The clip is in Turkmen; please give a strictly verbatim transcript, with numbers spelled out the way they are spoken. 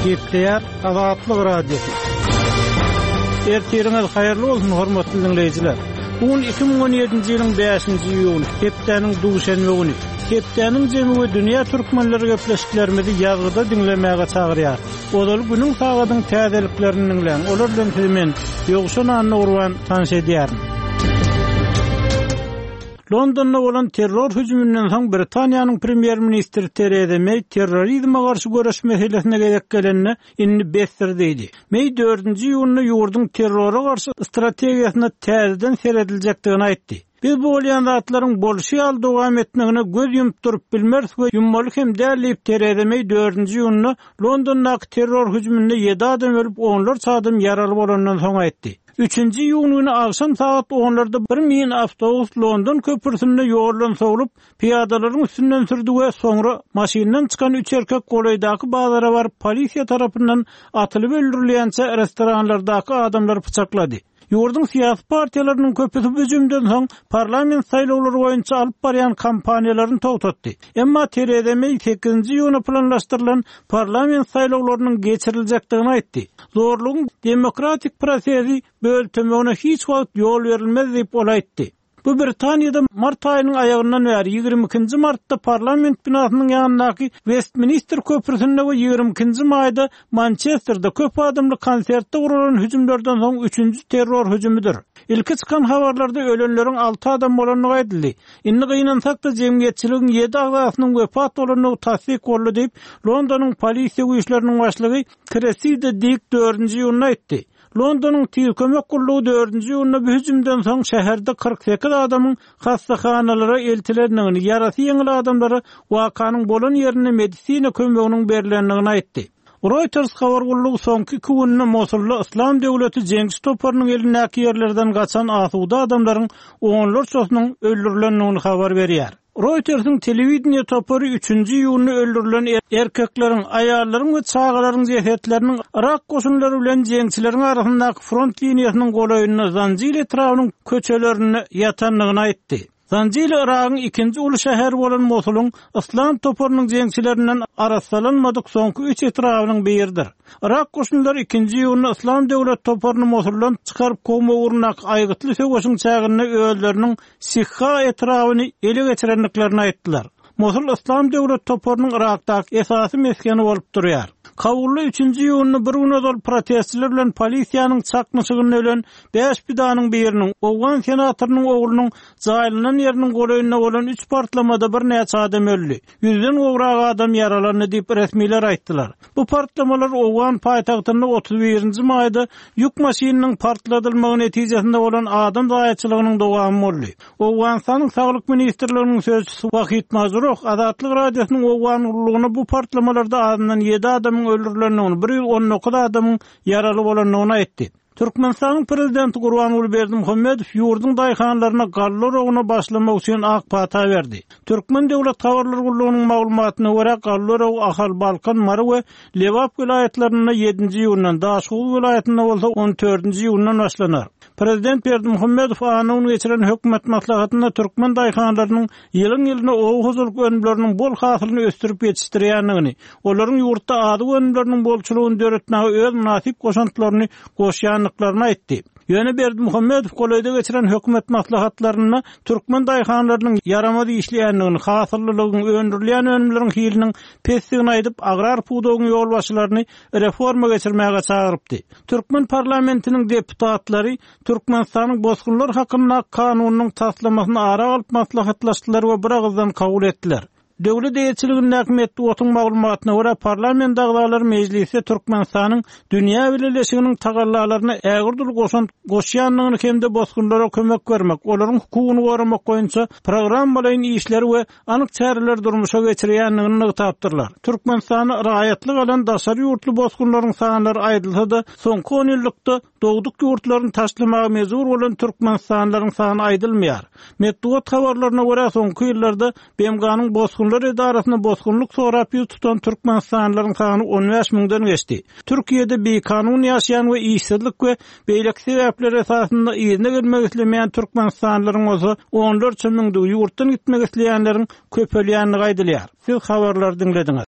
Gepleýär Azatlyk Radiosy. Ertiriňiz haýyrly bolsun, hormatly diňleýjiler. Bu gün iki müň on ýedinji ýylyň bäşinji iýuny, hepdäniň duşenbe güni. Hepdäniň jemi we dünýä türkmenleri gepleşiklerimizi ýazgyda diňlemäge çagyrýar. Ozal günüň sagadyň täzeliklerini diňläň. Olar bilen sizi men Ýowşan Annagurban tanyş edýärin. Londonda bolan terror hüjüminden soň Britaniýanyň premýer-ministri Theresa May terrorizme garşy göreş meselesine gezek gelende indi besdir diýdi. May dördünji iýunda ýurduň terrora garşy strategiýasyna täzeden serediljekdigini aýtdy. Biz bu bolýan zatlaryň bolşy ýaly dowam etmegine göz ýumup durup bilmeris we ýummaly hem däl diýip Theresa May dördünji iýunda Londondaky terror hüjüminde ýedi adam ölüp, onlarça adam ýaraly bolandan soň aýtdy. Üçünji iýun güni akşam saat onlarda bir min awtobus London köprüsinde ýoldan sowlup, piyadalaryň üstünden sürdü we soňra maşyndan çykan üç erkek golaýdaky bazara baryp polisiýa tarapyndan atylyp öldürilýänçe restoranlardaky adamlary pyçaklady. Ýurduň syýasy partiýalarynyň köpüsi hüjümden soň parlament saýlawlary boýunça alyp barýan kampaniýalaryny togtatdy. Emma Theresa May sekizinji iýuna planlaşdyrylan parlament saýlawlarynyň geçiriljekdigini aýtdy. Zorlugyň demokratik prosesi böltemegine hiç wagt ýol berilmez diýip ol aýtdy. Bu Britaniýada mart aýynyň aýagyndan bäri ýigrimi ikinji martda parlament binasynyň ýanyndaky Westminster köprüsinde we ýigrimi ikinji maýda Mançesterde köp adamly konsertde guralan hüjümlerden soň üçünji terror hüjümidir. Ilki çykan habarlarda ölenleriň alty adam bolandygy aýdyldy. Indi gynansak da jemgyýetçiligiň ýedi agzasynyň wepat bolandygy tassyk boldy diýip, Londonyň polisiýa güýçleriniň başlygy Cressida Dick dördünji iýunda aýtdy. Londonyň tiz kömek gullugy dördünji iýunda bu hüjümden soň şäherde kyrk sekiz adamyň hastahanalara eltilendigini, ýarasy ýeňil adamlara wakanyň bolan ýerinde medisina kömeginiň berilendigini aýtdy. Reuters habar gullugy soňky iki günde Mosulda Islam döwleti jeňçi toparynyň elindäki ýerlerden gaçan asuda adamlaryň onlarçasynyň öldürilendigini habar berýär. Reuters'in telewideniýe topary üçünji iýunda öldürilen er-, erkekleriň, aýallaryň we çagalaryň jesetleriniň Irak goşunlary bilen jeňçileriň arasyndaky front liniýasynyň golaýynda Zanjil etrabynyň köçelerinde ýatandygyny aýtdy. Zanjil Iragyň ikinji uly şäheri bolan Mosulyň Islam toparynyň jeňçilerinden arassalanmadyk soňky üç etrabynyň biridir. Irak goşunlary ikinji iýunda Islam döwlet toparyny Mosuldan çykaryp kowmak ugrundaky aýgytly söweşiň çäginde özleriniň Sihha etrabyny ele geçirendiklerini aýtdylar. Mosul Islam döwlet toparynyň Irakdaky esasy mesgeni bolup durýar. Kabulda üçünji iýunda bir gün ozal protestçiler bilen polisiýanyň çaknyşygynda ölen bäş pidanyň biriniň Owgan senatorynyň oglunyň jaýlanan ýeriniň golaýynda bolan üç partlamada birnäçe adam öldi. Ýüzden gowrak adam ýaralandy diýip resmiler aýtdylar. Bu partlamalar Owgan paýtagtynda otuz birinji maýda ýük maşynynyň partladylmagy netijesinde bolan adam zaýaçylygynyň dowamy boldy. Owganystanyň Saglyk Ministrliginiň sözçüsi Wahid Mazruh Azatlyk Radiosynyň Owgan gullugyna bu partlamalarda azyndan ýedi adamyň öldürilendigini, bir ýüz on dokuz adamyň ýaraly bolandygyny aýtdy. Türkmenistanyň prezidenti Gurbanguly Berdimuhamedow ýurduň daýhanlaryna galla rogyna başlamak üçin ak pata berdi. Türkmen Döwlet Habarlar Gullugynyň maglumatyna görä galla rogy Ahal, Balkan, Mary we Lebap welaýatlarynda ýedinji iýundan, Daşoguz welaýatynda bolsa on dördünji iýundan başlanar. Prezident Berdimuhamedow anna geçiren hökümet maslahatynda türkmen daýhanlarynyň ýylyň-ýylyna oba hojalyk önümleriniň bol hasylyny ösdürip ýetişdirýändigini, olaryň ýurtda azyk önümleriniň bolçulygyny döretmäge öz mynasyp goşantlaryny goşýandyklaryny aýtdy. Ýöne Berdimuhamedow golaýda geçiren hökümet maslahatlarynda türkmen daýhanlarynyň ýaramaz işleýändigini, hasyllylygyň, öndürilýän önümleriň hiliniň pesdigini aýdyp, agrar pudagyň ýolbaşçylaryny reforma geçirmäge çagyrypdy. Türkmen parlamentiniň deputatlary Türkmenistanyň bosgunlar hakynda kanunynyň taslamasyny ara alyp maslahatlaşdylar we bir agyzdan kabul etdiler. Döwlet eýeçiligindäki metbugatyň maglumatyna görä parlament agzalary mejlisde Türkmenistanyň dünýä bileleşiginiň tagallalaryna ägirt uly goşant goşýandygyny hem-de bosgunlara kömek bermek, olaryň hukugyny goramak boýunça programmalaýyn işleri we anyk çäreleri durmuşa geçirýändigini nygtapdyrlar. Türkmenistanda raýatlyk alan daşary ýurtly bosgunlaryň sanlary aýdylsa-da, soňky on ýyllykda dogduk ýurtlaryny taşlamaga mejbur bolan Türkmenistanlylaryň sany aýdylmaýar. Metbugat habarlaryna görä soňky ýyllarda B M G-nyň bosgunlar edarasyna bosgunlyk sorap ýüz tutan Türkmenistanlylaryň sany on bäş müňden geçdi. Türkiýede bikanun ýaşaýan we işsizlik we beýleki sebäpler esasynda yzyna gelmek islemeýän Türkmenistanlylaryň bolsa onlarça müňdügi ýurtdan gitmek isleýänleriň köpelýändigi aýdylýar. Siz habarlary diňlediňiz.